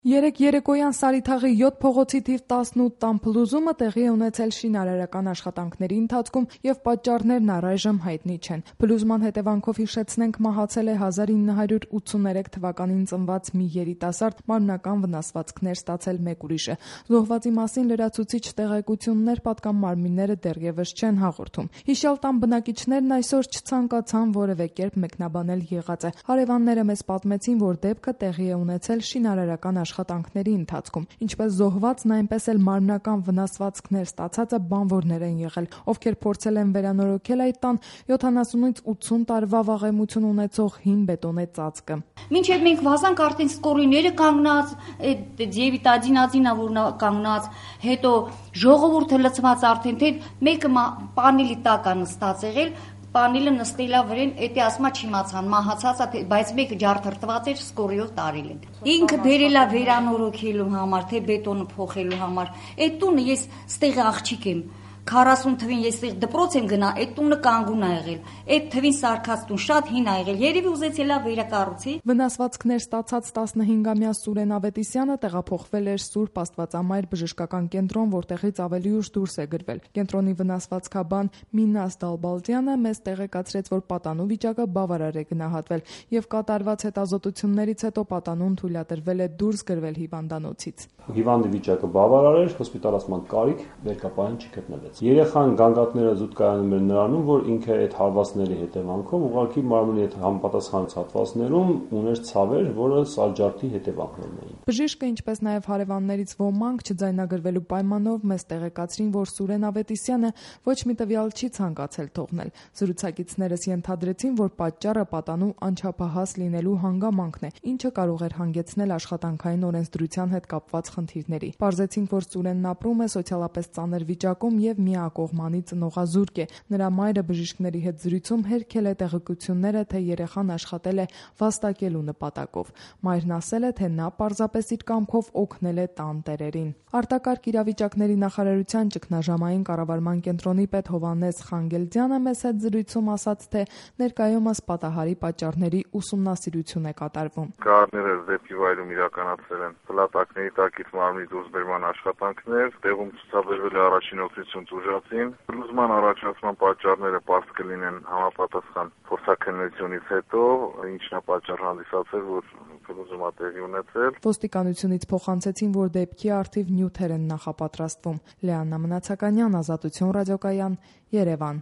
Երեկ երեկոյան Սարիթաղի 7 փողոցի թիվ 18 տան փլուզումը տեղի է ունեցել շինարարական աշխատանքների ընթացքում եւ պատճառներն առայժմ հայտնի չեն։ Փլուզման հետևանքով հիշեցնենք մահացել է 1983 թվականին ծնված մի երիտասարդ, մարմնական վնասվածքներ ստացել մեկ ուրիշը։ Զոհվածի մասին լրացուցիչ տեղեկություններ պատկան մարմինները դեռևս չեն հաղորդում։ Հիշյալ տան բնակիչներն այսօր չցանկացան որևէ կերպ մեկնաբանել եղածը։ Հարևանները մեզ պատմեցին, որ դեպքը տեղի է ունեցել շինարարական աշխատանքների ընթացքում, ինչպես զոհվածն, այնպես էլ մարմնական վնասվածքներ ստացածը բանվորներ են եղել, ովքեր փորձել են վերանորոգել այդ տան 70-ից 80 տարվա վաղեմություն ունեցող հին բետոնե ծածկը։ Մինչև մենք վազանք, արդեն սկորիները կանգնած, ձևի տաջինածինա որ կանգնած, հետո ժողովուրդը լցված արդեն, թե մեկը պանելի տակ է նստած եղել, պանելը նստելա վրեն, էտի ասма չիմացան, մահացածա, բայց մեկը ջարդրտված էր, սկորիով տարել են։ Ինքը բերելա վերանորոգելու համար, թե բետոնը փոխելու համար։ Այդ տունը ես ստեղի աղջիկ եմ, 40 թվին ես ստեղ դպրոց եմ գնա, այդ տունը կանգուն ա եղել։ Այդ թվին սարկած տուն շատ հին ա եղել, երևի ուզեցելա վերակառուցի։ Վնասվածքներ ստացած 15-ամյա Սուրեն Ավետիսյանը տեղափոխվել էր Սուրբ Աստվածամայր բժշկական կենտրոն, որտեղից ավելի ուշ դուրս է գրվել։ Կենտրոնի վնասվածքաբան Մինաս Դալբալդյանը մեզ տեղեկացրեց, որ պատանու վիճակը բավարար է գնահատվել եւ կատարված հետազոտություններից հետո պատանուն թույլատրվել է դուրս գրվել հիվանդանոցից։ Հիվանդի վիճակը բավարար էր, հոսպիտալացման կարիք վերկապային չգտնվեց։ Երեխան գանգատները զուտ կայանում էր նրանում, որ ինքը այդ հարվածների հետևանքով ուղղակի մարմնի հետ համապատասխան հատվածներում ուներ ցավեր, որը սալջարդի հետևանքներն էին։ Բժիշկը, ինչպես նաև հարևաններից ոմանք չձայնագրվելու պայմանով մեզ տեղեկացրին, որ Սուրեն Ավետիսյանը ոչ մի տվյալ չի ցանկացել թողնել։ Զրուցակիցներս ենթադրեցին, որ պատճառը պատանու անչափահաս լինելու հանգամանքն է, ինչը կարող էր հանգեցնել աշխատանքային օրենսդրության հետ կապված խնդիրների։ Պարզեցինք, որ Սուրենն ապրում է սոցիալապես ծանր վիճակում եւ միակողմանի ծնողազուրկ է։ Նրա մայրը բժիշկների հետ զրույցում հերքել է տեղեկությունները, թե երեխան աշխատել է վաստակելու նպատակով։ Մայրն ասել է, թե նա պարզապես իր կամքով օգնել է տան տերերին։ Արտակարգ իրավիճակների նախարարության ճգնաժամային կառավարման կենտրոնի պետ Հովհաննես Խանգելդյանը մեզ հետ զրույցում ասաց, թե ներկայումս պատահարի պատճառների ուսումնասիրություն է կատարվում։ Կառները դեպի վայրում իրականացել են փլատակների տակից մարմնի դուրսբերման աշխատանքներ, տեղում ցուցաբերվել է առաջին օգնություն տուժածին։ Փլուզման առաջացման պատճառները պարզ կլինեն համապատասխան փորձաքննությունից հետո, ինչն է պատճառ հանդիսացել, որ փլուզումը տեղի ունեցել։ Ոստիկանությունից փոխանցեցին, որ դեպքի առթիվ նյութեր են նախապատրաստվում։ Լեաննա Մնացականյան, Ազատություն ռադիոկայան, Երևան։